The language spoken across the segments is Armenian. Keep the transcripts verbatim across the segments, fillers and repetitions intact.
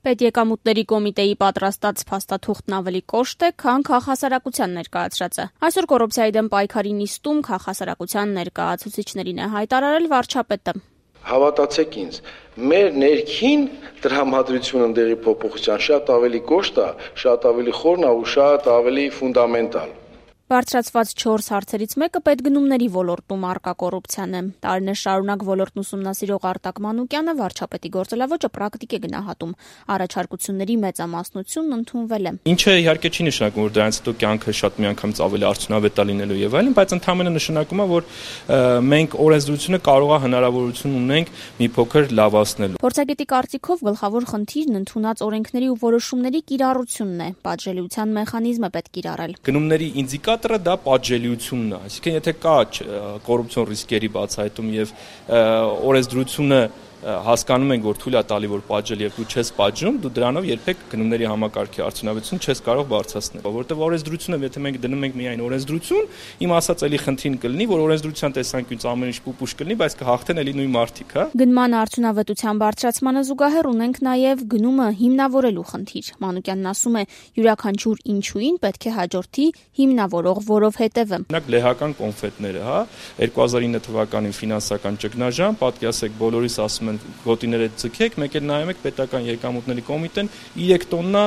Պետեկամուտների կոմիտեի պատրաստած փաստաթուղթն ավելի կոշտ է, քան քաղաքասարակության ներկայացրածը։ Այսօր կոռուպցիայի դեմ պայքարի նիստում քաղաքասարակության ներկայացուցիչներին է հայտարարել վարչապետը։ Հավատացեք ինձ, մեր ներքին տրամադրությունը ընդերի փոփոխության շատ ավելի կոշտ է, շատ ավելի խորն է ու շատ ավելի ֆունդամենտալ։ Բարձրացված չորս հարցերից մեկը պետգնումների ոլորտում առկա կոռուպցիան է։ Տարիներ շարունակ ոլորտն ուսումնասիրող Արտակ Մանուկյանը վարչապետի գործելավոճը պրակտիկ է գնահատում։ Առաջարկությունների մեծամասնությունն ընդունվել է։ Ինչը իհարկե չի նշանակում, որ դրանից հետո կյանքը շատ միանգամից ավելի արդյունավետ է լինելու եւ այլն, բայց ընդհանրապես նշանակում է, որ մենք օրենսդրությունը կարող է հնարավորություն ունենք մի փոքր լավացնելու։ Փորձագետի կարծիքով գլխավոր խնդիրն ընդունած օրենքների ու որոշումների կիրառությունն է։ Պատժելիության մեխանիզմը պետք կիրառել։ Գնումների ինդիկատորը դա պատժելիությունն է, այսինքն եթե կա կոռուպցիոն ռիսկերի բացահայտում եւ օրենսդրությունը հասկանում ենք, որ թույլ է տալի, որ պատժել եւ դու չես պատժում, դու դրանով երբեք գնումների համակարգի արդյունավետություն չես կարող բարձրացնել, որովհետեւ օրենսդրությունը, եթե մենք դնում ենք միայն օրենսդրություն, իմ ասած էլի խնդրին կլինի, որ օրենսդրության տեսանկյունից ամեն ինչ պուպուշ կլինի, բայց կհաղթեն էլի նույն մարդիկ, հա։ Գնման արդյունավետության բարձրացմանը զուգահեռ ունենք նաեւ գնումը հիմնավորելու խնդիր։ Մանուկյանն ասում է, յուրաքանչյուր ինչուին պետք է հաջորդի հիմնավորող որովհետեւը։ Օրինակ լեհական կոնֆետները, հա, երկու հազար ինը թվականին ֆինանսական ճգնաժամ, պատկերացեք բոլորիս ասում գոտիները ձգեք, մեկ էլ նայում եք պետական եկամուտների կոմիտեն երեք տոննա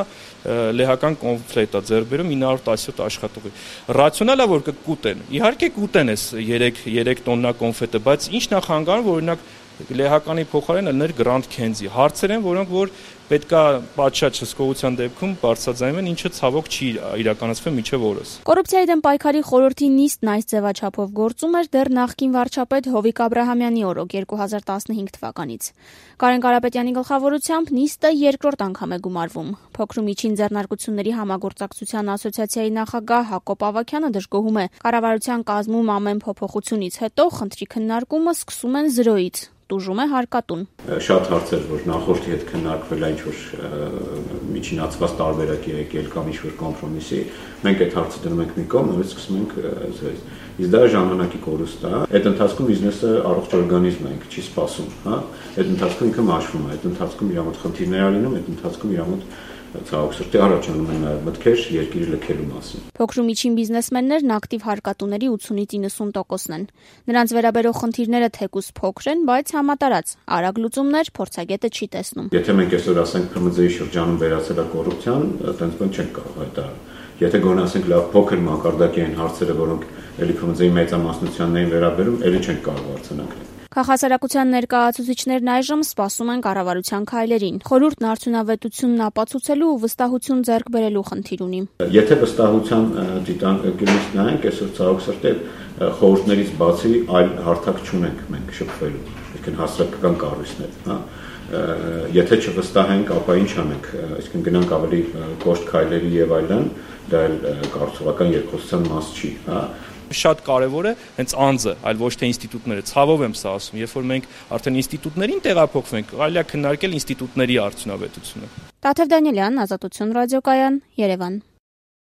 լեհական կոնֆետ է ձեռք բերում ինը հարյուր տասնյոթ աշխատողի։ Ռացիոնալ է, որ կուտեն։ Իհարկե կուտեն էս երեք տոննա կոնֆետը, բայց ի՞նչ նախանգարում, որ օրինակ լեհականի փոխարեն ելներ Grand Candy։ Հարցեր են, որոնք որ պետքա պատշաճ հսկողության դեպքում բարձրաձայնվեն, ինչը ցավոք չի իրականացվել մինչև օրս։ Կոռուպցիայի դեմ պայքարի խորհրդի նիստն այս ձևաչափով գործում էր դեռ նախկին վարչապետ Հովիկ Աբրահամյանի օրոք երկու հազար տասնհինգ թվականից։ Կարեն Կարապետյանի գլխավորությամբ նիստը երկրորդ անգամ է գումարվում։ Փոքր ու միջին ձեռնարկությունների համագործակցության ասոցիացիայի նախագահ Հակոբ Ավագյանը դժգոհում է, կառավարության կազմում ամեն փոփոխությունից հետո խնդրի քննարկումը սկսում են զրոյից։ Տուժում է հարկատուն։ Շատ հարցեր, որ նախորդի հետ քննարկվել է ինչ-որ միջինացված տարբերակ է եկել կամ ինչ-որ կոմպրոմիսի, մենք այդ հարցը դնում ենք մի կողմ, նորից սկսում ենք զրոյից։ Իսկ դա ժամանակի կորուստ է։ Այդ ընթացքում բիզնեսը առողջ օրգանիզմ է, ինքը չի սպասում, հա։ Այդ ընթացքում ինքը մաշվում է, այդ ընթացքում իր մոտ խնդիրներ ա լինում, այդ ընթացքում իր մոտ ցավոք սրտի առաջանում են նաև մտքեր երկիրը լքելու մասին։ Փոքր ու միջին բիզնեսմեններն ակտիվ հարկատուների ութսունից իննսուն տոկոսն են։ Նրանց վերաբերող խնդիրները թեկուզ փոքր են, բայց համատարած։ Արագ լուծումներ փորձագետը չի տեսնում։ Եթե մենք այսօր ասենք Փ Մ Ծ-ի շրջանում վերացել է կոռուպցիան, այդպես բան չենք կարող հայտարարել։ Եթե գոնե ասենք լավ փոքր մակարդակի են հարցերը, որոնք էլի Փ Մ Ծ-ի մեծամասնությանն են վերաբերում, էլի չենք կարող արձանագրել։ Քաղաքասարակության ներկայացուցիչներն այժմ սպասում են կառավարության քայլերին։ Խորհուրդն արդյունավետությունն ապացուցելու ու վստահություն ձեռք բերելու խնդիր ունի։ Եթե վստահության դիտարկելուց նայենք, այսօր ցավոք սրտի խորհուրդներից բացի այլ հարթակ չունենք մենք շփվելու, այսինքն հասարակական կառույցներ, հա։ Եթե չվստահենք, ապա ինչ անենք, այսինքն գնանք ավելի կոշտ քայլերի եւ այլն, դա էլ կարծողական երկխոսության մաս չի, հա։ Շատ կարևոր է հենց անձը, այլ ոչ թե ինստիտուտները։ Ցավով եմ սա ասում, երբ որ մենք արդեն ինստիտուտներին տեղափոխվենք, կարելի է քննարկել ինստիտուտների արդյունավետությունը։ Տաթև Դանիելյան, Ազատություն ռադիոկայան, Երևան։